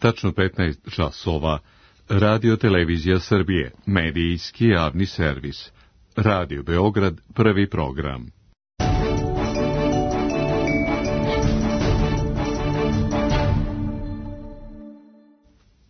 tačno 15 časova, Radio Televizija Srbije, medijski javni servis. Radio Beograd, prvi program.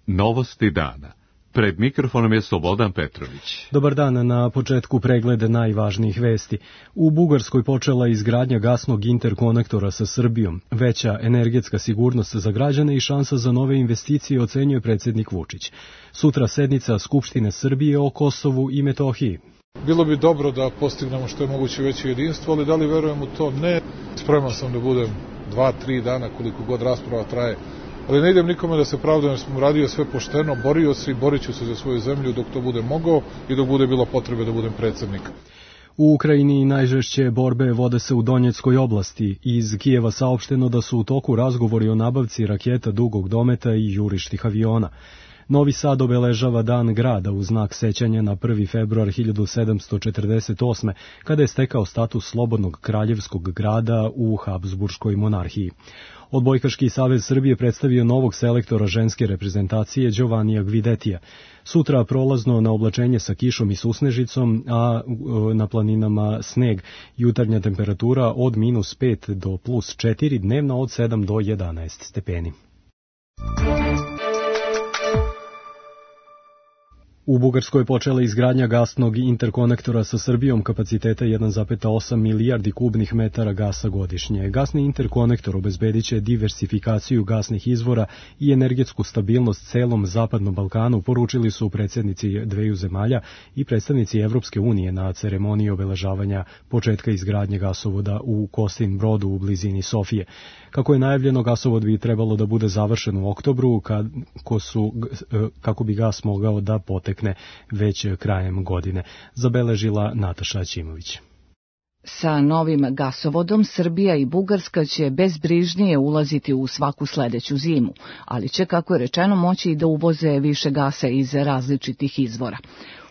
Novosti dana. Pred mikrofonom je Slobodan Petrović. Dobar dan, na početku pregled najvažnijih vesti. U Bugarskoj počela izgradnja gasnog interkonektora sa Srbijom. Veća energetska sigurnost za građane i šansa za nove investicije, ocenjuje predsjednik Vučić. Sutra sednica Skupštine Srbije o Kosovu i Metohiji. Bilo bi dobro da postignemo što je moguće veće jedinstvo, ali da li verujem u to? Ne. Spreman sam da budem 2-3 dana, koliko god rasprava traje. Ali ne idem nikome da se pravdam, jer sam uradio sve pošteno, borio se i borit ću se za svoju zemlju dok to bude mogao i dok bude bilo potrebe da budem predsjednik. U Ukrajini najžešće borbe vode se u Donjeckoj oblasti. Iz Kijeva saopšteno da su u toku razgovori o nabavci raketa dugog dometa i jurišnih aviona. Novi Sad obeležava Dan grada u znak sećanja na 1. februar 1748. kada je stekao status slobodnog kraljevskog grada u Habsburškoj monarhiji. Odbojkaški savez Srbije predstavio novog selektora ženske reprezentacije Đovanija Gvidetija. Sutra prolazno na oblačenje sa kišom i susnežicom, a na planinama sneg. Jutarnja temperatura od -5 do +4, dnevna od 7 do 11 stepeni. U Bugarskoj je počela izgradnja gasnog interkonektora sa Srbijom kapaciteta 1,8 milijardi kubnih metara gasa godišnje. Gasni interkonektor obezbediće diversifikaciju gasnih izvora i energetsku stabilnost celom Zapadnom Balkanu, poručili su predsjednici dveju zemalja i predstavnici Evropske unije na ceremoniji obeležavanja početka izgradnje gasovoda u Kosin Brodu u blizini Sofije. Kako je najavljeno, gasovod bi trebalo da bude završen u oktobru, kako bi gas mogao da potekne već krajem godine, zabeležila Nataša Ćimović. Sa novim gasovodom Srbija i Bugarska će bezbrižnije ulaziti u svaku sledeću zimu, ali će, kako je rečeno, moći i da uvoze više gasa iz različitih izvora.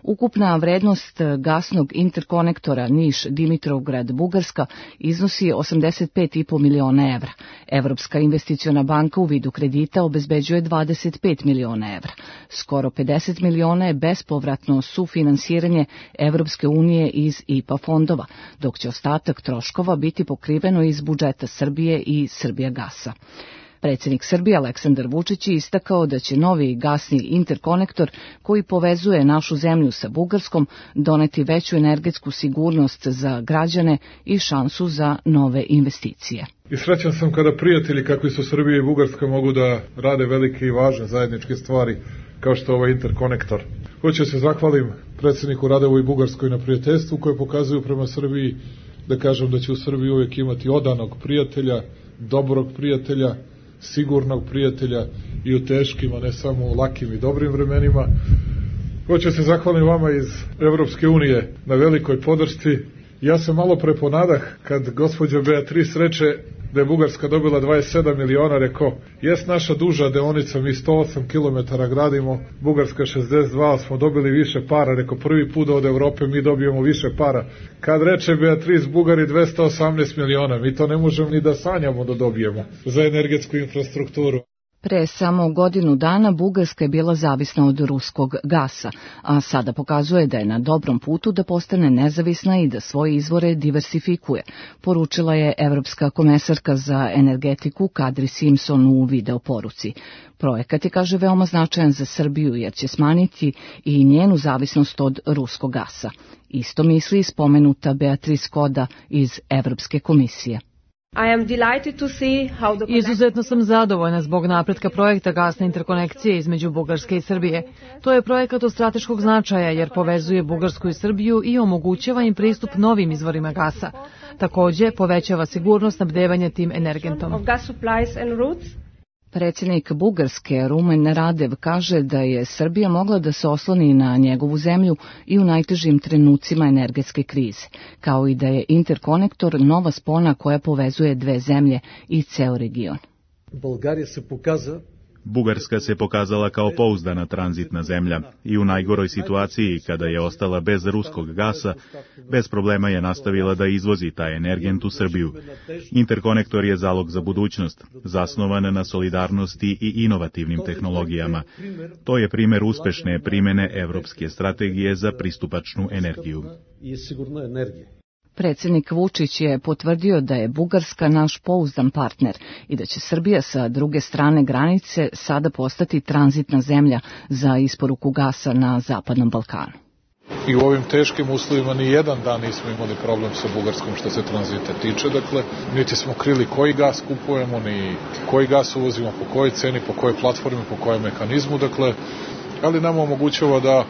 Ukupna vrednost gasnog interkonektora Niš-Dimitrovgrad-Bugarska iznosi 85,5 miliona evra. Evropska investiciona banka u vidu kredita obezbeđuje 25 miliona evra. Skoro 50 miliona je bespovratno sufinansiranje Evropske unije iz IPA fondova, dok će ostatak troškova biti pokriveno iz budžeta Srbije i Srbijagasa. Predsjednik Srbije Aleksandar Vučić je istakao da će novi gasni interkonektor koji povezuje našu zemlju sa Bugarskom doneti veću energetsku sigurnost za građane i šansu za nove investicije. I srećan sam kada prijatelji kakvi su Srbija i Bugarska mogu da rade velike i važne zajedničke stvari kao što je ovaj interkonektor. Hoću se zahvalim predsjedniku Radevu i Bugarskoj na prijateljstvu koje pokazuju prema Srbiji, da kažem da će u Srbiji uvijek imati odanog prijatelja, dobrog prijatelja, sigurnog prijatelja i u teškim, a ne samo u lakim i dobrim vremenima. Hoću se zahvalim vama iz Evropske unije na velikoj podršci. Ja se malo preponadah kad gospođa Beatrice reče da je Bugarska dobila 27 miliona, rekao, jes naša duža deonica, mi 108 km gradimo, Bugarska 62, smo dobili više para, rekao, prvi put od Evrope mi dobijemo više para. Kad reče Beatrice, Bugari 218 miliona, mi to ne možemo ni da sanjamo da dobijemo za energetsku infrastrukturu. Pre samo godinu dana Bugarska je bila zavisna od ruskog gasa, a sada pokazuje da je na dobrom putu da postane nezavisna i da svoje izvore diversifikuje, poručila je Evropska komesarka za energetiku Kadri Simpson u videoporuci. Projekat je, kaže, veoma značajan za Srbiju jer će smanjiti i njenu zavisnost od ruskog gasa. Isto misli spomenuta Beatrice Koda iz Evropske komisije. Izuzetno sam zadovoljna zbog napretka projekta gasne interkonekcije između Bugarske i Srbije. To je projekat od strateškog značaja jer povezuje Bugarsku i Srbiju i omogućava im pristup novim izvorima gasa. Takođe, povećava sigurnost snabdevanja tim energentom. Predsjednik Bugarske Rumen Radev kaže da je Srbija mogla da se osloni na njegovu zemlju i u najtežim trenucima energetske krize, kao i da je interkonektor nova spona koja povezuje dve zemlje i ceo region. България се показа Bugarska se pokazala kao pouzdana tranzitna zemlja i u najgoroj situaciji, kada je ostala bez ruskog gasa, bez problema je nastavila da izvozi taj energent u Srbiju. Interkonektor je zalog za budućnost, zasnovan na solidarnosti i inovativnim tehnologijama. To je primer uspešne primene evropske strategije za pristupačnu energiju. Predsjednik Vučić je potvrdio da je Bugarska naš pouzdan partner i da će Srbija sa druge strane granice sada postati tranzitna zemlja za isporuku gasa na Zapadnom Balkanu. I u ovim teškim uslovima ni jedan dan nismo imali problem sa Bugarskom što se tranzita tiče. Dakle, niti smo krili koji gas kupujemo, ni koji gas uvozimo, po kojoj ceni, po kojoj platformi, po kojem mehanizmu. Dakle, ali nam omogućava da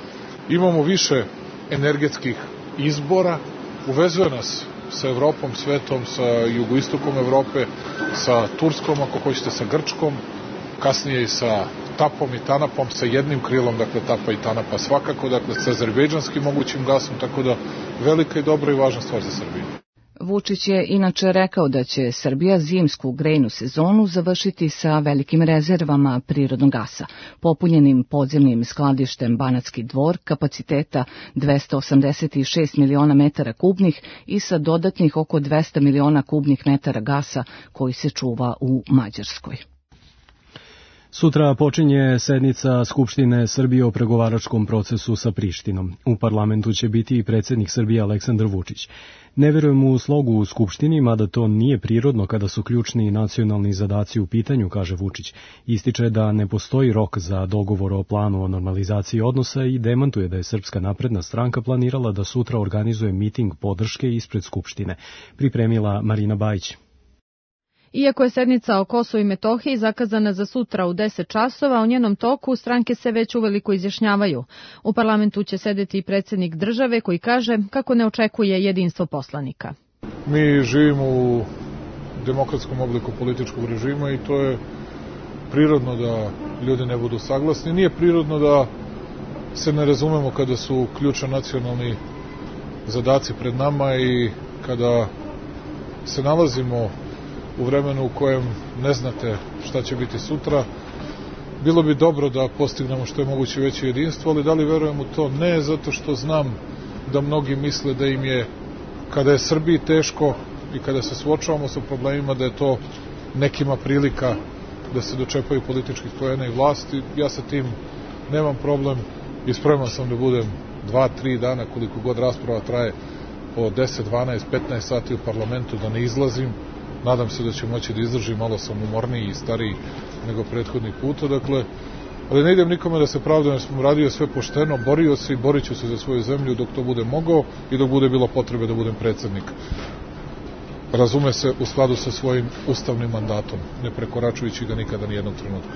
imamo više energetskih izbora. Uvezuje nas sa Evropom, svetom, sa jugoistokom Evrope, sa Turskom, ako hoćete, sa Grčkom, kasnije i sa Tapom i Tanapom, sa jednim krilom, dakle Tapa i Tanapa svakako, dakle sa azerbejdžanskim mogućim gasom, tako da velika i dobra i važna stvar za Srbiju. Vučić je inače rekao da će Srbija zimsku grejnu sezonu završiti sa velikim rezervama prirodnog gasa, popunjenim podzemnim skladištem Banatski Dvor kapaciteta 286 miliona metara kubnih i sa dodatnih oko 200 miliona kubnih metara gasa koji se čuva u Mađarskoj. Sutra počinje sednica Skupštine Srbije o pregovaračkom procesu sa Prištinom. U parlamentu će biti i predsjednik Srbije Aleksandar Vučić. Ne verujem u slogu u Skupštini, mada to nije prirodno kada su ključni nacionalni zadaci u pitanju, kaže Vučić. Ističe da ne postoji rok za dogovor o planu o normalizaciji odnosa i demantuje da je Srpska napredna stranka planirala da sutra organizuje miting podrške ispred Skupštine. Pripremila Marina Bajić. Iako je sednica o Kosovu i Metohiji zakazana za sutra u 10 časova, u njenom toku stranke se već uveliko izjašnjavaju. U parlamentu će sedeti i predsjednik države koji kaže kako ne očekuje jedinstvo poslanika. Mi živimo u demokratskom obliku političkog režima i to je prirodno da ljudi ne budu saglasni. Nije prirodno da se ne razumemo kada su ključni nacionalni zadaci pred nama i kada se nalazimo u vremenu u kojem ne znate šta će biti sutra. Bilo bi dobro da postignemo što je moguće veće jedinstvo, ali da li verujem u to? Ne, zato što znam da mnogi misle da im je, kada je Srbiji teško i kada se suočavamo sa problemima, da je to nekima prilika da se dočepaju političkih poena i vlasti. Ja sa tim nemam problem i spreman sam da budem 2-3 dana, koliko god rasprava traje, po 10, 12, 15 sati u parlamentu, da ne izlazim. Nadam se da ću moći da izdržim, malo sam umorniji i stariji nego prethodnih puta, dakle, ali ne idem nikome da se pravdam, jer sam radio sve pošteno, borio se i borit ću se za svoju zemlju dok to bude mogao i dok bude bilo potrebe da budem predsjednik. Razume se, u skladu sa svojim ustavnim mandatom, ne prekoračujući ga nikada nijednog trenutka.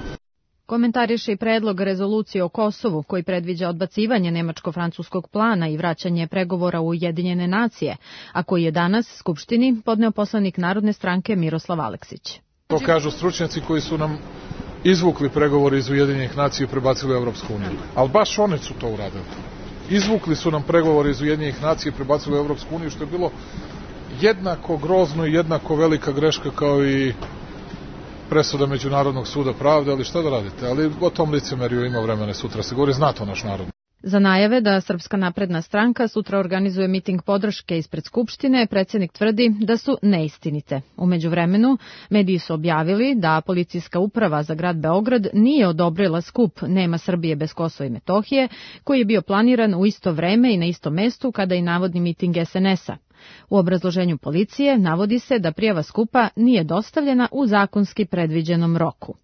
Komentariše i predlog rezolucije o Kosovu koji predviđa odbacivanje nemačko-francuskog plana i vraćanje pregovora u Ujedinjene nacije, a koji je danas Skupštini podneo poslanik Narodne stranke Miroslav Aleksić. To kažu stručnjaci koji su nam izvukli pregovore iz Ujedinjenih nacija i prebacili u Evropsku uniju. Ali baš oni su to uradili. Izvukli su nam pregovore iz Ujedinjenih nacija i prebacili u Evropsku uniju, što je bilo jednako grozno i jednako velika greška kao i presuda Međunarodnog suda pravde, ali šta da radite? Ali o tom licemeriju ima vremena sutra, se govori, zna to naš narod. Za najave da Srpska napredna stranka sutra organizuje miting podrške ispred Skupštine, predsjednik tvrdi da su neistinite. U međuvremenu, mediji su objavili da policijska uprava za grad Beograd nije odobrila skup Nema Srbije bez Kosova i Metohije, koji je bio planiran u isto vreme i na istom mestu kada i navodni miting SNS-a. U obrazloženju policije navodi se da prijava skupa nije dostavljena u zakonski predviđenom roku.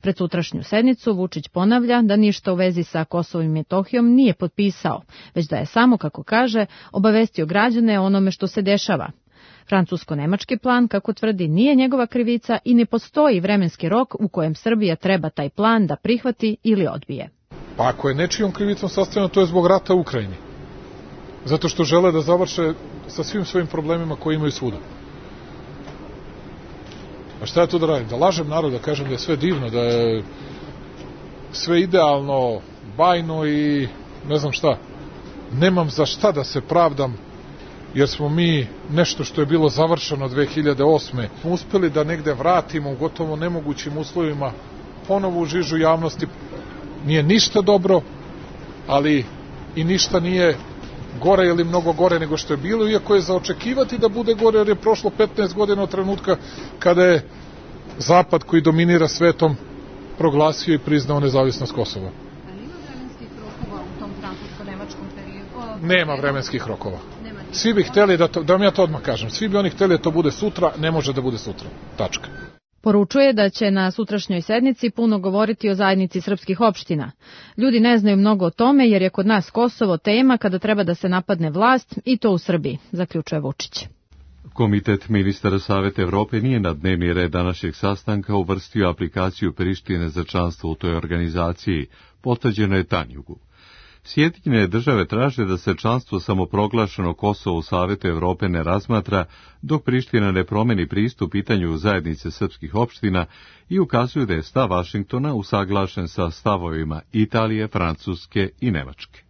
Pred sutrašnju sednicu Vučić ponavlja da ništa u vezi sa Kosovom i Metohijom nije potpisao, već da je samo, kako kaže, obavestio građane o onome što se dešava. Francusko-nemački plan, kako tvrdi, nije njegova krivica i ne postoji vremenski rok u kojem Srbija treba taj plan da prihvati ili odbije. Pa ako je nečijom krivicom sastavljeno, to je zbog rata u Ukrajini. Zato što žele da završe sa svim svojim problemima koje imaju svuda. A šta ja tu da radim? Da lažem narod, da kažem da je sve divno, da je sve idealno, bajno i ne znam šta. Nemam za šta da se pravdam, jer smo mi nešto što je bilo završeno 2008. uspeli da negde vratimo u gotovo nemogućim uslovima ponovo u žižu javnosti. Nije ništa dobro, ali i ništa nije gore ili mnogo gore nego što je bilo, iako je za očekivati da bude gore, jer je prošlo 15 godina od trenutka kada je Zapad koji dominira svetom proglasio i priznao nezavisnost Kosova. Nema vremenskih rokova u tom francusko-nemačkom periodu? Nema vremenskih rokova. Svi bi hteli da vam ja to odmah kažem, svi bi oni hteli da to bude sutra, ne može da bude sutra. Tačka. Poručuje da će na sutrašnjoj sednici puno govoriti o zajednici srpskih opština. Ljudi ne znaju mnogo o tome jer je kod nas Kosovo tema kada treba da se napadne vlast i to u Srbiji, zaključuje Vučić. Komitet ministara Saveta Evrope nije na dnevni red današnjeg sastanka uvrstio aplikaciju Prištine za članstvo u toj organizaciji, potvrđeno je Tanjugu. Sjedinjene države traže da se članstvo samoproglašeno Kosovo u Savetu Evrope ne razmatra, dok Priština ne promeni pristup pitanju zajednice srpskih opština i ukazuju da je stav Vašingtona usaglašen sa stavovima Italije, Francuske i Nemačke.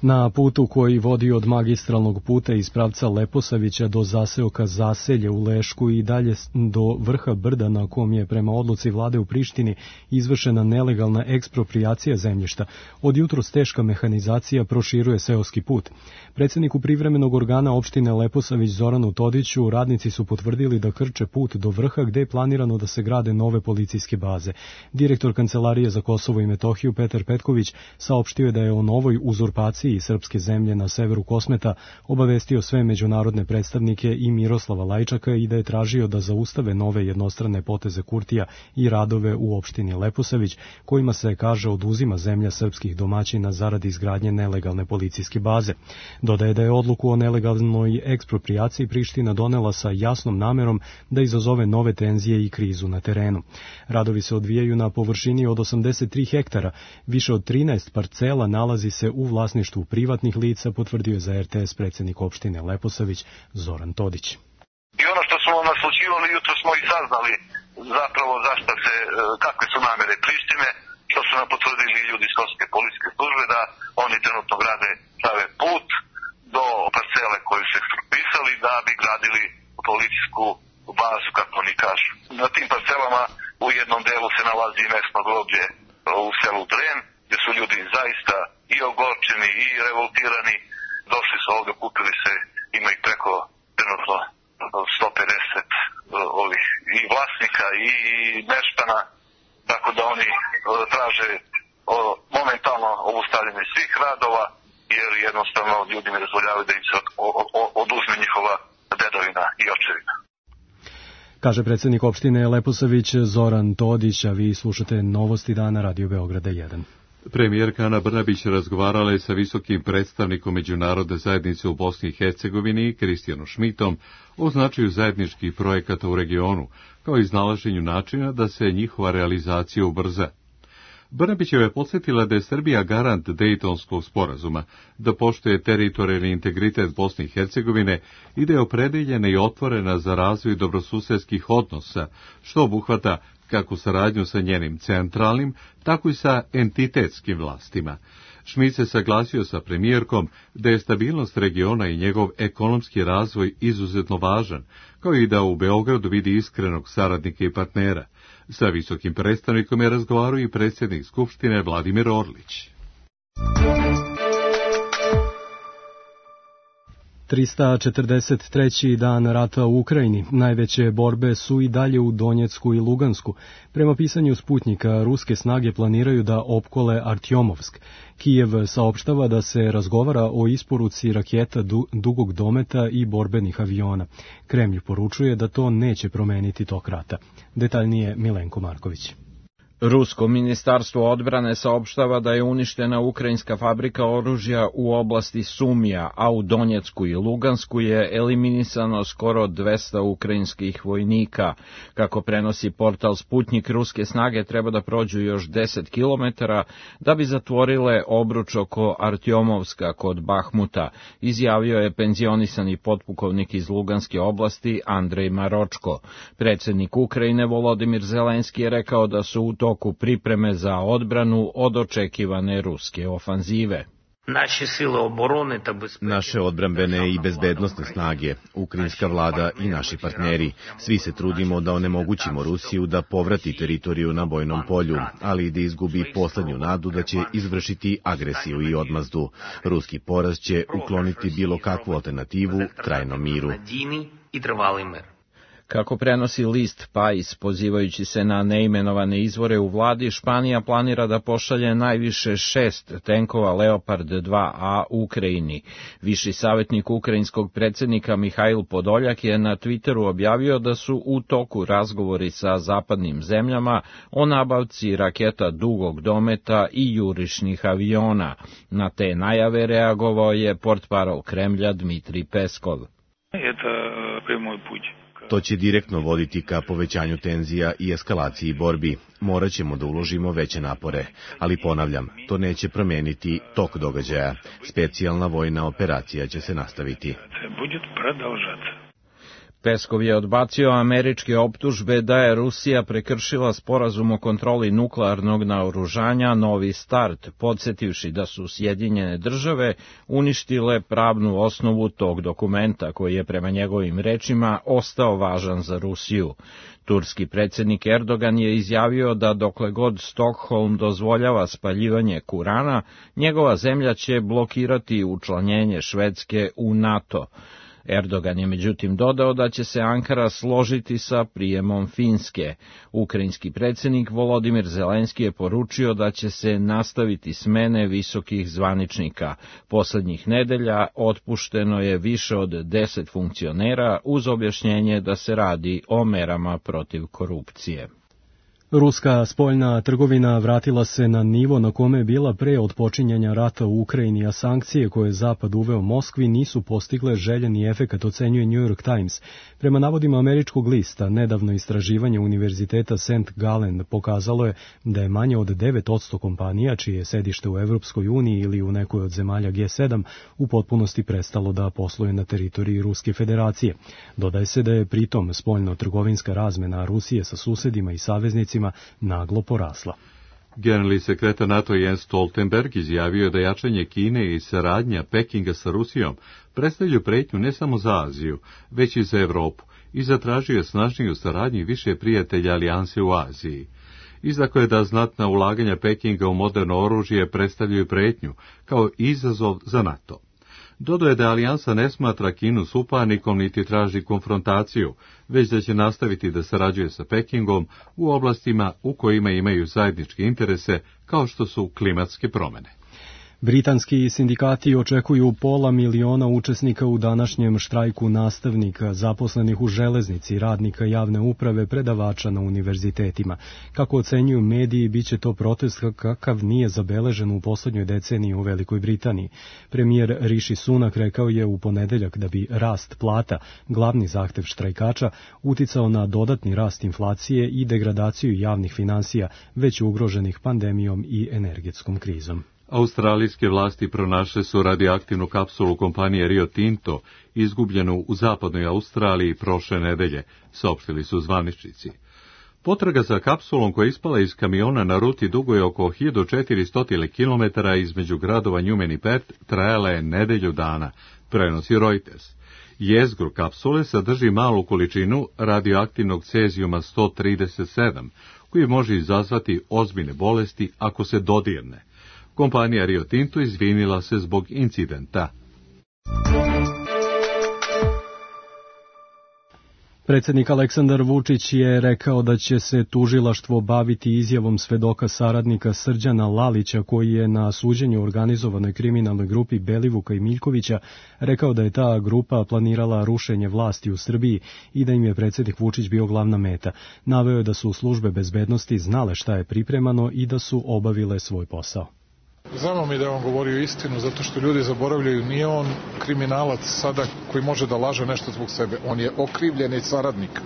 Na putu koji vodi od magistralnog puta iz pravca Leposavića do zaseoka Zaselje u Lešku i dalje do vrha brda na kom je prema odluci vlade u Prištini izvršena nelegalna eksproprijacija zemljišta, od jutros teška mehanizacija proširuje seoski put. Predsjedniku privremenog organa opštine Leposavić Zoranu Todiću radnici su potvrdili da krče put do vrha gde je planirano da se grade nove policijske baze. Direktor Kancelarije za Kosovo i Metohiju Petar Petković saopštio je da je o novoj uzurpaciji srpske zemlje na severu Kosmeta obavestio sve međunarodne predstavnike i Miroslava Lajčaka i da je tražio da zaustave nove jednostrane poteze Kurtija i radove u opštini Leposavić, kojima se, kaže, oduzima zemlja srpskih domaćina zarad izgradnje nelegalne policijske baze. Dodaje da je odluku o nelegalnoj eksproprijaciji Priština donela sa jasnom namerom da izazove nove tenzije i krizu na terenu. Radovi se odvijaju na površini od 83 hektara, više od 13 parcela nalazi se u vlasništvu privatnih lica, potvrdio je za RTS predsjednik opštine Leposavić Zoran Todić. I ono što smo naslućivali, jutro smo i saznali zapravo zašto se, kakve su namere Prištine, što su nam potvrdili ljudi iz Kosovske policijske službe, da oni trenutno prave put do parcele koju su ekspropisali da bi gradili policijsku bazu, kako oni kažu. Na tim parcelama u jednom delu se nalazi i mesno groblje u selu Dren, gdje su ljudi zaista i ogorčeni i revoltirani, došli su ovdje, kupili se, ima ih preko trenutno 150 i vlasnika i meštana, tako da oni traže momentalno obustavljanje svih radova, jer jednostavno ljudi ne dozvoljavaju da im se oduzme njihova dedovina i očevina. Kaže predsjednik opštine Leposavić Zoran Todić, a vi slušate Novosti dana Radio Beograda 1. Premijerka Ana Brnabić razgovarala je sa visokim predstavnikom međunarodne zajednice u Bosni i Hercegovini, Kristijanom Šmitom, o značaju zajedničkih projekata u regionu, kao i iznalaženju načina da se njihova realizacija ubrza. Brnabićeva je podsjetila da je Srbija garant Dejtonskog sporazuma, da poštuje teritorijalni integritet Bosne i Hercegovine i da je opredeljena i otvorena za razvoj dobrosusedskih odnosa, što obuhvata kako saradnju sa njenim centralnim, tako i sa entitetskim vlastima. Šmit se saglasio sa premijerkom da je stabilnost regiona i njegov ekonomski razvoj izuzetno važan, kao i da u Beogradu vidi iskrenog saradnika i partnera. Sa visokim predstavnikom je razgovarao i predsjednik Skupštine Vladimir Orlić. 343. dan rata u Ukrajini. Najveće borbe su i dalje u Donjecku i Lugansku. Prema pisanju Sputnika, ruske snage planiraju da opkole Artjomovsk. Kijev saopštava da se razgovara o isporuci raketa dugog dometa i borbenih aviona. Kremlj poručuje da to neće promeniti tok rata. Detaljnije Milenko Marković. Rusko ministarstvo odbrane saopštava da je uništena ukrajinska fabrika oružja u oblasti Sumija, a u Donjecku i Lugansku je eliminisano skoro 200 ukrajinskih vojnika. Kako prenosi portal Sputnik, ruske snage treba da prođu još 10 kilometara da bi zatvorile obruč oko Artjomovska kod Bahmuta, izjavio je penzionisani potpukovnik iz Luganske oblasti Andrej Maročko. Predsjednik Ukrajine Volodimir Zelenski je rekao da su u toku pripreme za odbranu od očekivane ruske ofanzive. Naše odbrambene i bezbednosne snage, ukrajinska vlada i naši partneri, svi se trudimo da onemogućimo Rusiju da povrati teritoriju na bojnom polju, ali i da izgubi poslednju nadu da će izvršiti agresiju i odmazdu. Ruski poraz će ukloniti bilo kakvu alternativu trajnom miru. Kako prenosi list Pais, pozivajući se na neimenovane izvore u vladi, Španija planira da pošalje najviše 6 tenkova Leopard 2A Ukrajini. Viši savjetnik ukrajinskog predsjednika Mihajl Podoljak je na Twitteru objavio da su u toku razgovori sa zapadnim zemljama o nabavci raketa dugog dometa i jurišnih aviona. Na te najave reagovao je portparol Kremlja Dmitrij Peskov. To će direktno voditi ka povećanju tenzija i eskalaciji borbi. Morat ćemo da uložimo veće napore, ali ponavljam, to neće promeniti tok događaja. Specijalna vojna operacija će se nastaviti. Peskov je odbacio američke optužbe da je Rusija prekršila sporazum o kontroli nuklearnog naoružanja Novi start, podsjetivši da su Sjedinjene države uništile pravnu osnovu tog dokumenta, koji je prema njegovim rečima ostao važan za Rusiju. Turski predsjednik Erdogan je izjavio da dokle god Stokholm dozvoljava spaljivanje Kurana, njegova zemlja će blokirati učlanjenje Švedske u NATO. Erdogan je međutim dodao da će se Ankara složiti sa prijemom Finske. Ukrajinski predsjednik Volodimir Zelenski je poručio da će se nastaviti smene visokih zvaničnika. Poslednjih nedelja otpušteno je više od 10 funkcionera uz objašnjenje da se radi o merama protiv korupcije. Ruska spoljna trgovina vratila se na nivo na kome je bila pre otpočinjanja rata u Ukrajini, a sankcije koje je Zapad uveo Moskvi nisu postigle željeni efekat, ocenjuje New York Times. Prema navodima američkog lista, nedavno istraživanje Univerziteta St. Gallen pokazalo je da je manje od 9% kompanija, čije je sedište u Evropskoj uniji ili u nekoj od zemalja G7, u potpunosti prestalo da posluje na teritoriji Ruske federacije. Dodaje se da je pritom spoljno-trgovinska razmena Rusije sa susedima i saveznicima naglo porasla. Generalni sekretar NATO Jens Stoltenberg izjavio je da jačanje Kine i saradnja Pekinga sa Rusijom predstavljaju pretnju ne samo za Aziju, već i za Evropu i zatražio je snažniju saradnju i više prijatelja alijanse u Aziji. Izdako je da znatna ulaganja Pekinga u moderno oružje predstavljaju pretnju kao izazov za NATO. Dodao je da alijansa ne smatra Kinu suparnikom niti traži konfrontaciju, već da će nastaviti da sarađuje sa Pekingom u oblastima u kojima imaju zajedničke interese, kao što su klimatske promjene. Britanski sindikati očekuju 500.000 učesnika u današnjem štrajku nastavnika, zaposlenih u železnici, radnika javne uprave, predavača na univerzitetima. Kako ocenjuju mediji, bit će to protest kakav nije zabeležen u poslednjoj deceniji u Velikoj Britaniji. Premijer Rishi Sunak rekao je u ponedeljak da bi rast plata, glavni zahtev štrajkača, uticao na dodatni rast inflacije i degradaciju javnih finansija, već ugroženih pandemijom i energetskom krizom. Australijske vlasti pronašle su radioaktivnu kapsulu kompanije Rio Tinto, izgubljenu u zapadnoj Australiji prošle nedelje, saopštili su zvaničnici. Potraga za kapsulom koja je ispala iz kamiona na ruti dugoj oko 1400 km između gradova Newman i Perth trajala je nedelju dana, prenosi Reuters. Jezgru kapsule sadrži malu količinu radioaktivnog cezijuma 137, koji može izazvati ozbiljne bolesti ako se dodirne. Kompanija Rio Tinto izvinila se zbog incidenta. Predsjednik Aleksandar Vučić je rekao da će se tužilaštvo baviti izjavom svedoka saradnika Srđana Lalića, koji je na suđenju organizovanoj kriminalnoj grupi Belivuka i Miljkovića rekao da je ta grupa planirala rušenje vlasti u Srbiji i da im je predsjednik Vučić bio glavna meta. Naveo je da su službe bezbednosti znale šta je pripremano i da su obavile svoj posao. Znamo mi da je on govorio istinu, zato što ljudi zaboravljaju, nije on kriminalac sada koji može da laže nešto zbog sebe. On je okrivljeni saradnik.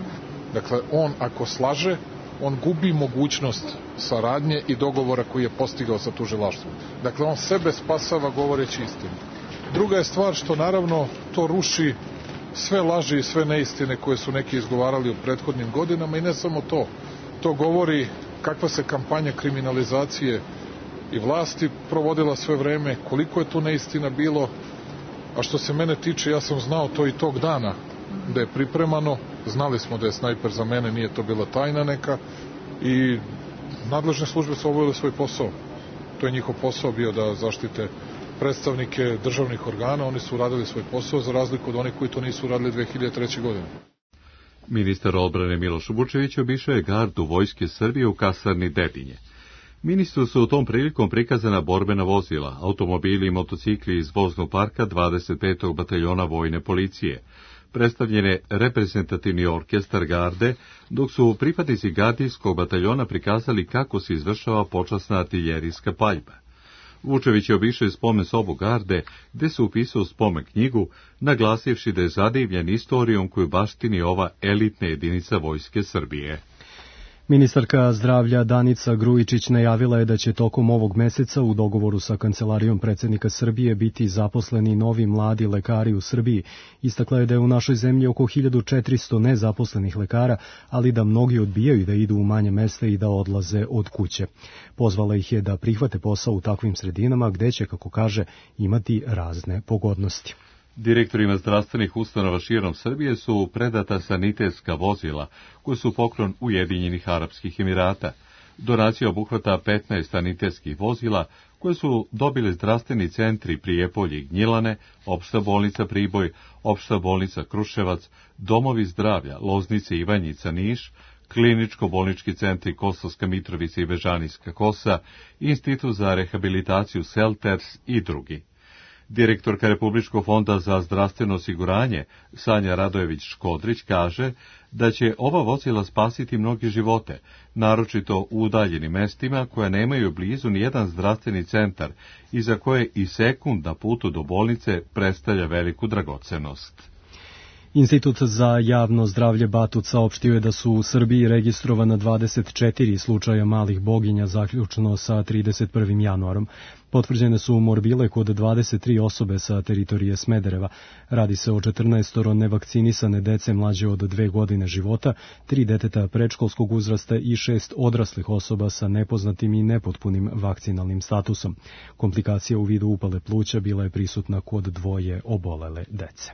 Dakle, on ako slaže, on gubi mogućnost saradnje i dogovora koji je postigao sa tužilaštvom. Dakle, on sebe spasava govoreći istinu. Druga je stvar što naravno to ruši sve laži i sve neistine koje su neki izgovarali u prethodnim godinama i ne samo to. To govori kakva se kampanja kriminalizacije i vlasti provodila sve vreme, koliko je tu neistina bilo, a što se mene tiče, ja sam znao to i tog dana da je pripremano, znali smo da je snajper za mene, nije to bila tajna neka i nadležne službe su obavile svoj posao. To je njihov posao bio da zaštite predstavnike državnih organa, oni su uradili svoj posao za razliku od onih koji to nisu uradili 2003. godine. Ministar odbrane Miloš Vučević obišao je gardu Vojske Srbije u kasarni Dedinje. Ministru su u tom prilikom prikazana borbena vozila, automobili i motocikli iz voznog parka 25. bataljona vojne policije, predstavljene reprezentativni orkestar garde, dok su pripadnici gardijskog bataljona prikazali kako se izvršava počasna artiljerijska paljba. Vučević je obišao i spomen sobu garde, gde se upisao spomen knjigu, naglasivši da je zadivljen istorijom koju baštini ova elitna jedinica Vojske Srbije. Ministarka zdravlja Danica Grujičić najavila je da će tokom ovog meseca u dogovoru sa Kancelarijom predsjednika Srbije biti zaposleni novi mladi lekari u Srbiji. Istakla je da je u našoj zemlji oko 1400 nezaposlenih lekara, ali da mnogi odbijaju da idu u manje mesta i da odlaze od kuće. Pozvala ih je da prihvate posao u takvim sredinama gde će, kako kaže, imati razne pogodnosti. Direktorima zdravstvenih ustanova širom Srbije su predata sanitetska vozila, koje su poklon Ujedinjenih Arapskih Emirata. Donacija obuhvata 15 sanitetskih vozila, koje su dobili zdravstveni centri Prijepolje i Gnjilane, Opšta bolnica Priboj, Opšta bolnica Kruševac, Domovi zdravlja Loznice, Ivanjica, Niš, kliničko-bolnički centri Kosovska Mitrovica i Bežanijska Kosa, Institut za rehabilitaciju Selters i drugi. Direktorka Republičkog fonda za zdravstveno osiguranje Sanja Radojević-Škodrić kaže da će ova vozila spasiti mnogi živote, naročito u udaljenim mestima koja nemaju blizu nijedan zdravstveni centar i za koje i sekund na putu do bolnice predstavlja veliku dragocenost. Institut za javno zdravlje Batut saopštio je da su u Srbiji registrovana 24 slučaja malih boginja zaključno sa 31. januarom. Potvrđene su morbile kod 23 osobe sa teritorije Smedereva. Radi se o 14 nevakcinisane dece mlađe od 2 godine života, 3 deteta predškolskog uzrasta i 6 odraslih osoba sa nepoznatim i nepotpunim vakcinalnim statusom. Komplikacija u vidu upale pluća bila je prisutna kod 2 obolele dece.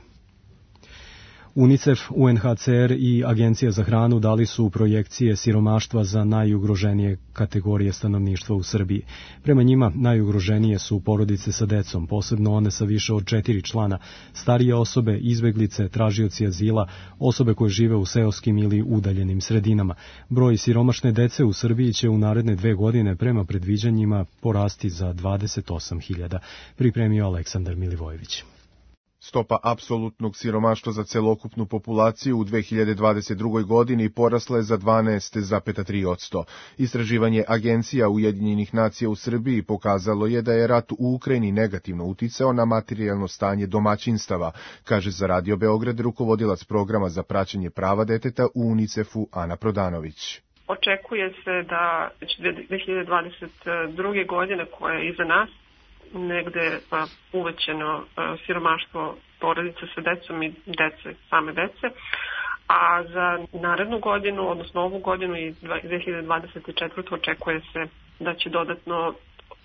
UNICEF, UNHCR i Agencija za hranu dali su projekcije siromaštva za najugroženije kategorije stanovništva u Srbiji. Prema njima, najugroženije su porodice sa decom, posebno one sa više od 4 člana, starije osobe, izbeglice, tražioci azila, osobe koje žive u seoskim ili udaljenim sredinama. Broj siromašne dece u Srbiji će u naredne 2 godine prema predviđanjima porasti za 28.000, pripremio Aleksandar Milivojević. Stopa apsolutnog siromaštva za celokupnu populaciju u 2022. godini porasla je za 12,3%. Istraživanje Agencija Ujedinjenih nacija u Srbiji pokazalo je da je rat u Ukrajini negativno uticao na materijalno stanje domaćinstava, kaže za Radio Beograd rukovodilac programa za praćenje prava deteta u UNICEF-u Ana Prodanović. Očekuje se da 2022. godine koja je iza nas negde uvećeno siromaštvo porodice sa decom i same dece, a za narednu godinu, odnosno ovu godinu i 2024. očekuje se da će dodatno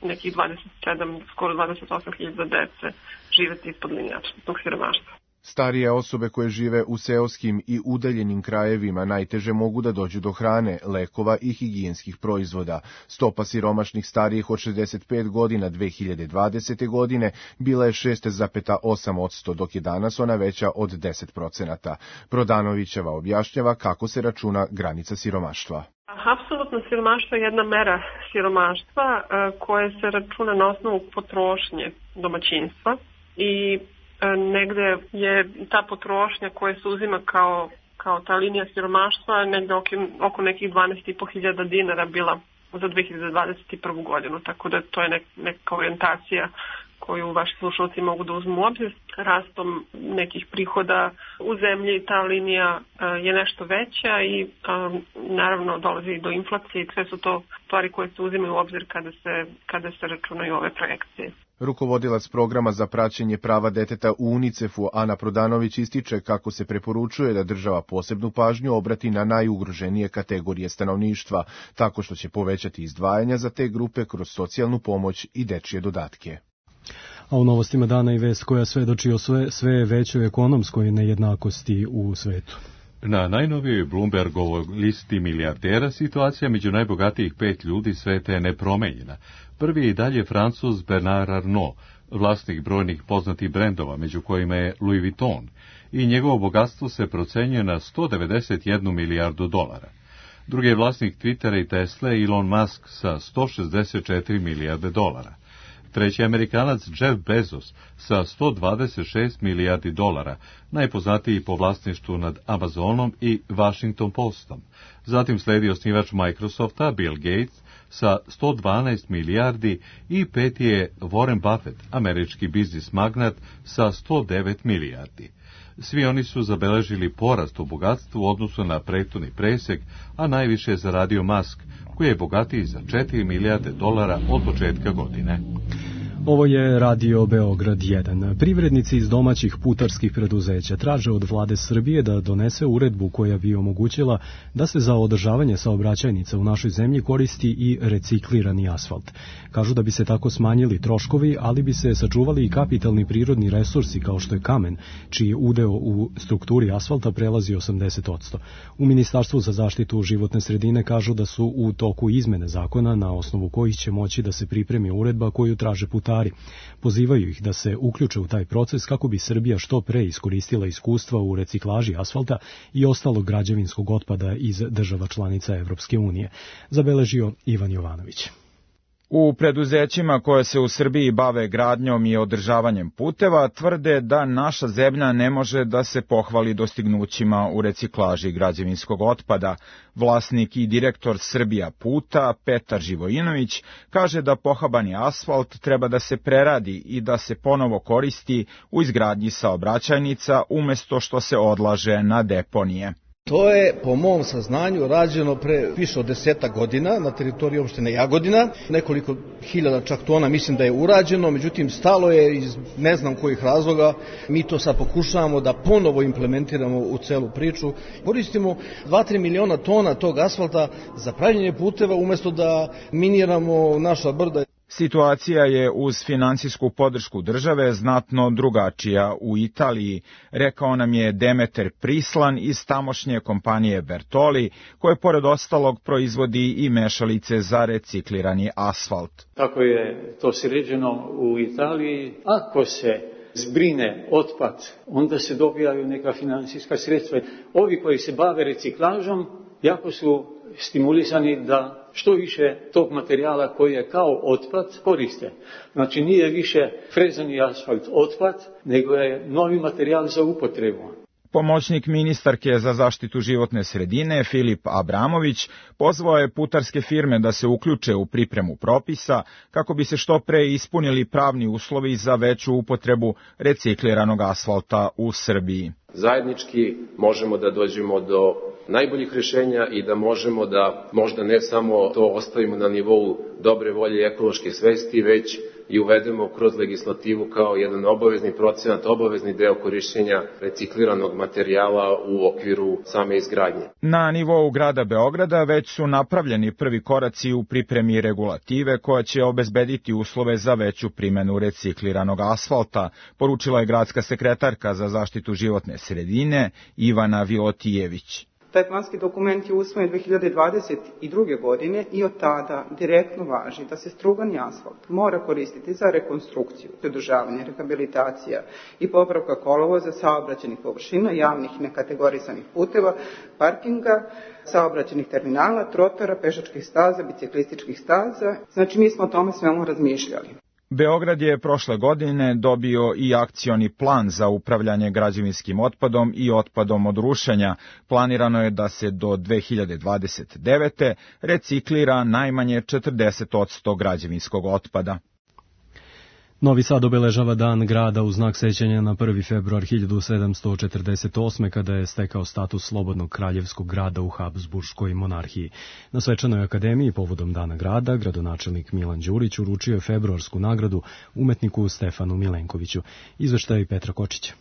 nekih 27, skoro 28.000 dece živeti ispod linije apsolutnog siromaštva. Starije osobe koje žive u seoskim i udaljenim krajevima najteže mogu da dođu do hrane, lekova i higijenskih proizvoda. Stopa siromašnih starijih od 65 godina 2020. godine bila je 6,8%, dok je danas ona veća od 10%. Prodanovićeva objašnjava kako se računa granica siromaštva. Apsolutno siromaštvo je jedna mera siromaštva koja se računa na osnovu potrošnje domaćinstva i negde je ta potrošnja koja se uzima kao ta linija siromaštva negde oko nekih 12.500 dinara bila za 2021. godinu, tako da to je neka orijentacija koju vaši slušalci mogu da uzmu u obzir. Rastom nekih prihoda u zemlji ta linija je nešto veća i naravno dolazi do inflacije i sve su to stvari koje se uzimaju u obzir kada se računaju ove projekcije. Rukovodilac programa za praćenje prava deteta u UNICEF-u Ana Prodanović ističe kako se preporučuje da država posebnu pažnju obrati na najugroženije kategorije stanovništva, tako što će povećati izdvajanja za te grupe kroz socijalnu pomoć i dečije dodatke. A u novostima dana i vest koja svedoči o sve većoj ekonomskoj nejednakosti u svetu. Na najnovijoj Bloombergovoj listi milijardera situacija među najbogatijih 5 ljudi sveta je nepromenjena. Prvi je i dalje Francuz Bernard Arnault, vlasnik brojnih poznatih brendova, među kojima je Louis Vuitton, i njegovo bogatstvo se procenjuje na 191 milijardu dolara. Drugi je vlasnik Twittera i Tesle Elon Musk sa 164 milijarde dolara. Treći je Amerikanac Jeff Bezos sa 126 milijardi dolara, najpoznatiji po vlasništvu nad Amazonom i Washington Postom. Zatim sledi osnivač Microsofta Bill Gates sa 112 milijardi i peti je Warren Buffett, američki biznis magnat sa 109 milijardi. Svi oni su zabeležili porast u bogatstvu u odnosu na prethodni presek, a najviše je zaradio Musk, koji je bogatiji za 4 milijarde dolara od početka godine. Ovo je Radio Beograd 1. Privrednici iz domaćih putarskih preduzeća traže od vlade Srbije da donese uredbu koja bi omogućila da se za održavanje saobraćajnica u našoj zemlji koristi i reciklirani asfalt. Kažu da bi se tako smanjili troškovi, ali bi se sačuvali i kapitalni prirodni resursi kao što je kamen, čiji udeo u strukturi asfalta prelazi 80%. U Ministarstvu za zaštitu životne sredine kažu da su u toku izmene zakona na osnovu kojih će moći da se pripremi uredba koju traže putari. Pozivaju ih da se uključe u taj proces kako bi Srbija što pre iskoristila iskustva u reciklaži asfalta i ostalog građevinskog otpada iz država članica Evropske unije, zabeležio Ivan Jovanović. U preduzećima koje se u Srbiji bave gradnjom i održavanjem puteva tvrde da naša zemlja ne može da se pohvali dostignućima u reciklaži građevinskog otpada. Vlasnik i direktor Srbija Puta, Petar Živojinović, kaže da pohabani asfalt treba da se preradi i da se ponovo koristi u izgradnji saobraćajnica umjesto što se odlaže na deponije. To je, po mom saznanju, rađeno pre više od 10 godina na teritoriji opštine Jagodina. Nekoliko hiljada čak tona mislim da je urađeno, međutim stalo je iz ne znam kojih razloga. Mi to sad pokušavamo da ponovo implementiramo u celu priču. Koristimo 2-3 miliona tona tog asfalta za pravljenje puteva umjesto da miniramo naša brda. Situacija je uz financijsku podršku države znatno drugačija u Italiji, rekao nam je Demeter Prislan iz tamošnje kompanije Bertoli, koje pored ostalog proizvodi i mešalice za reciklirani asfalt. Kako je to sređeno u Italiji, ako se zbrine otpad, onda se dobijaju neka financijska sredstva. Ovi koji se bave reciklažom jako su stimulisani da što više tog materijala koji je kao otpad koriste. Znači nije više frezani asfalt otpad, nego je novi materijal za upotrebu. Pomoćnik ministarke za zaštitu životne sredine Filip Abramović pozvao je putarske firme da se uključe u pripremu propisa kako bi se što pre ispunili pravni uslovi za veću upotrebu recikliranog asfalta u Srbiji. Zajednički možemo da dođemo do najboljih rješenja i da možemo da možda ne samo to ostavimo na nivou dobre volje i ekološke svesti, već i uvedemo kroz legislativu kao jedan obavezni procenat, obavezni deo korišćenja recikliranog materijala u okviru same izgradnje. Na nivou grada Beograda već su napravljeni prvi koraci u pripremi regulative koja će obezbediti uslove za veću primjenu recikliranog asfalta, poručila je gradska sekretarka za zaštitu životne sredine Ivana Vilotijević. Taj planski dokument je usvojen 2022. godine i od tada direktno važi da se strugani asfalt mora koristiti za rekonstrukciju, održavanje, rehabilitacija i popravka kolovoza, saobraćajnih površina, javnih nekategorisanih puteva, parkinga, saobraćajnih terminala, trotora, pešačkih staza, biciklističkih staza. Znači mi smo o tome svemu razmišljali. Beograd je prošle godine dobio i akcioni plan za upravljanje građevinskim otpadom i otpadom od rušenja. Planirano je da se do 2029. reciklira najmanje 40% građevinskog otpada. Novi Sad obeležava Dan grada u znak sećanja na 1. februar 1748. kada je stekao status slobodnog kraljevskog grada u Habsburškoj monarhiji. Na svečanoj akademiji povodom Dana grada gradonačelnik Milan Đurić uručio je februarsku nagradu umetniku Stefanu Milenkoviću. Izveštaj Petra Kočića.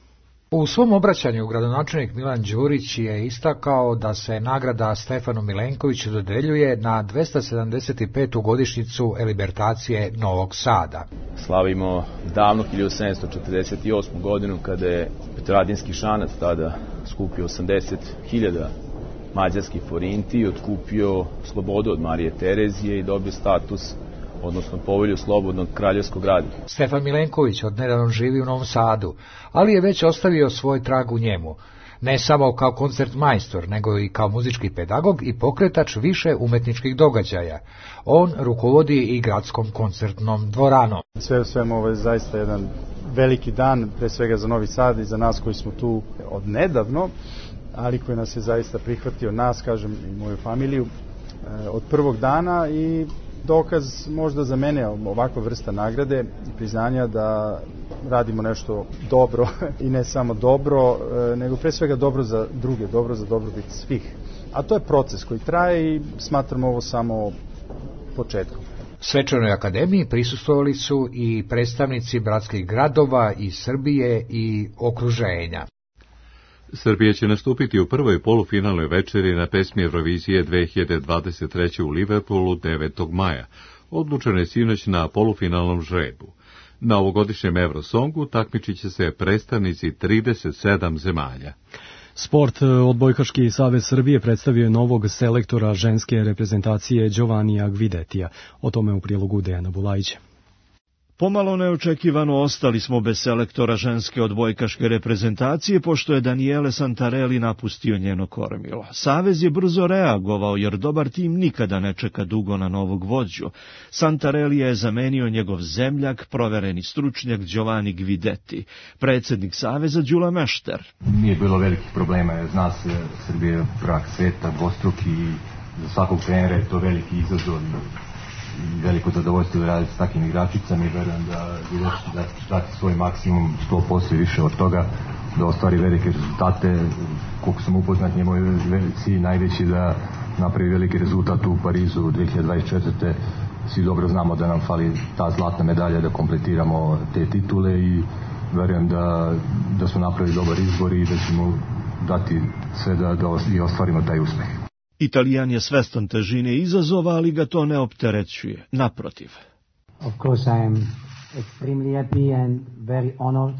U svom obraćanju gradonačelnik Milan Đurić je istakao da se nagrada Stefanu Milenkoviću dodeljuje na 275. godišnjicu elibertacije Novog Sada. Slavimo davno 1748. godinu kada je Petrovaradinski šanac tada skupio 80.000 mađarskih forinti i otkupio slobodu od Marije Terezije i dobio status, odnosno povelju slobodnog kraljevskog grada. Stefan Milenković odnedavno živi u Novom Sadu, ali je već ostavio svoj trag u njemu, ne samo kao koncertmajstor, nego i kao muzički pedagog i pokretač više umetničkih događaja. On rukovodi i gradskom koncertnom dvoranom. Sve u svemu ovo je zaista jedan veliki dan, pre svega za Novi Sad i za nas koji smo tu odnedavno, ali koji nas je zaista prihvatio, nas, kažem, i moju familiju, od prvog dana i dokaz možda za mene ovakva vrsta nagrade i priznanja da radimo nešto dobro i ne samo dobro, nego pre svega dobro za druge, dobro za dobrobit svih. A to je proces koji traje i smatram ovo samo početkom. Svečanoj akademiji prisustvovali su i predstavnici bratskih gradova iz Srbije i okruženja. Srbija će nastupiti u prvoj polufinalnoj večeri na pesmi Eurovizije 2023. u Liverpoolu 9. maja. Odlučeno je sinoć na polufinalnom žrebu. Na ovogodišnjem Eurosongu takmičit će se predstavnici 37 zemalja. Sport. Odbojkaški savez Srbije predstavio je novog selektora ženske reprezentacije Giovannija Gvidetija. O tome u prilogu Dejana Bulajića. Pomalo neočekivano ostali smo bez selektora ženske odbojkaške reprezentacije, pošto je Daniele Santarelli napustio njeno kormilo. Savez je brzo reagovao, jer dobar tim nikada ne čeka dugo na novog vođu. Santarelli je zamenio njegov zemljak, provereni stručnjak Giovanni Guidetti. Predsjednik saveza Đula Mešter. Nije bilo velikih problema, zna se, Srbija je prvak sveta, dvostruki, i za svakog trenera je to veliki izazov i veliko zadovoljstvo da raditi s takvim igračicama i verujem da dati svoj maksimum 100% i više od toga, da ostvari velike rezultate. Koliko sam upoznat, njemu je cilj najveći da napravi veliki rezultat u Parizu 2024. Svi dobro znamo da nam fali ta zlatna medalja da kompletiramo te titule i verujem da smo napravili dobar izbor i da ćemo dati sve da i ostvarimo taj uspeh. Italijan je svestan težine izazova, ali ga to ne opterećuje. Naprotiv. Of course I am extremely happy and very honored.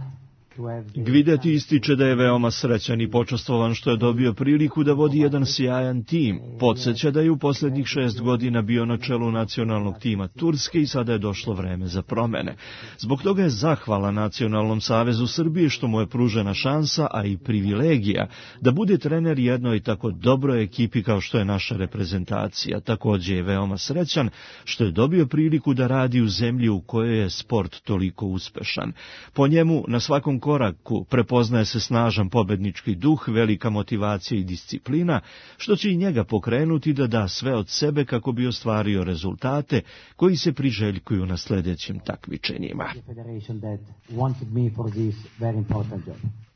Guidetti ističe da je veoma srećan i počastvovan što je dobio priliku da vodi jedan sjajan tim. Podsjeća da je u posljednjih 6 godina bio na čelu nacionalnog tima Turske i sada je došlo vreme za promene. Zbog toga je zahvala Nacionalnom savezu Srbije što mu je pružena šansa, a i privilegija da bude trener jednoj tako dobroj ekipi kao što je naša reprezentacija. Također je veoma srećan što je dobio priliku da radi u zemlji u kojoj je sport toliko uspešan. Po njemu na svakom koraku prepoznaje se snažan pobednički duh, velika motivacija i disciplina, što će i njega pokrenuti da da sve od sebe kako bi ostvario rezultate koji se priželjkuju na sljedećim takmičenjima.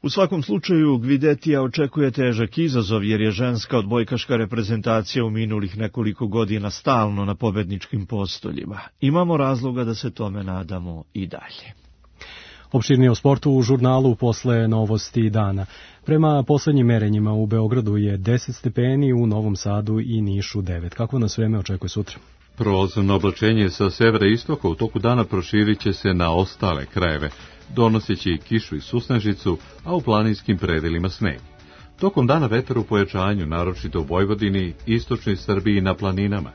U svakom slučaju, Guidettija očekuje težak izazov jer je ženska odbojkaška reprezentacija u minulih nekoliko godina stalno na pobedničkim postoljima. Imamo razloga da se tome nadamo i dalje. Opširnije o sportu u žurnalu posle novosti dana. Prema poslednjim merenjima u Beogradu je 10 stepeni, u Novom Sadu i Nišu 9. Kako nas vreme očekuje sutra? Prolazno oblačenje sa severa i istoka u toku dana proširit će se na ostale krajeve, donoseći kišu i susnežicu, a u planinskim predelima sneg. Tokom dana vetar u pojačanju, naročito u Vojvodini, istočnoj Srbiji i na planinama.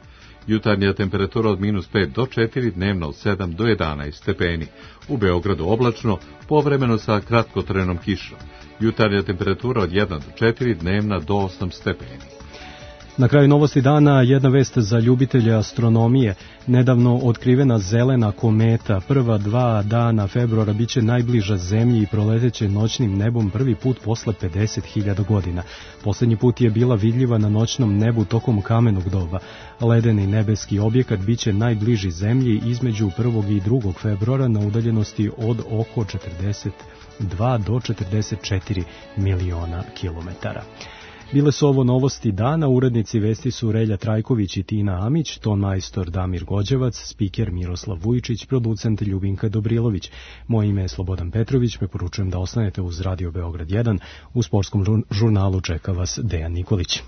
Jutarnja temperatura od -5 do 4, dnevno od 7 do 11 stepeni. U Beogradu oblačno, povremeno sa kratkotrenom kišom. Jutarnja temperatura od 1 do 4, dnevna do 8 stepeni. Na kraju novosti dana jedna vest za ljubitelje astronomije. Nedavno otkrivena zelena kometa prva 2 dana februara biće najbliža Zemlji i proleteće noćnim nebom prvi put posle 50.000 godina. Poslednji put je bila vidljiva na noćnom nebu tokom kamenog doba. Ledeni nebeski objekat biće najbliži Zemlji između 1. i 2. februara na udaljenosti od oko 42 do 44 miliona kilometara. Bile su ovo novosti dana, urednici vesti su Relja Trajković i Tina Amić, ton majstor Damir Gođevac, spiker Miroslav Vujičić, producent Ljubinka Dobrilović. Moje ime je Slobodan Petrović, preporučujem da ostanete uz Radio Beograd 1, u sportskom žurnalu čeka vas Dejan Nikolić.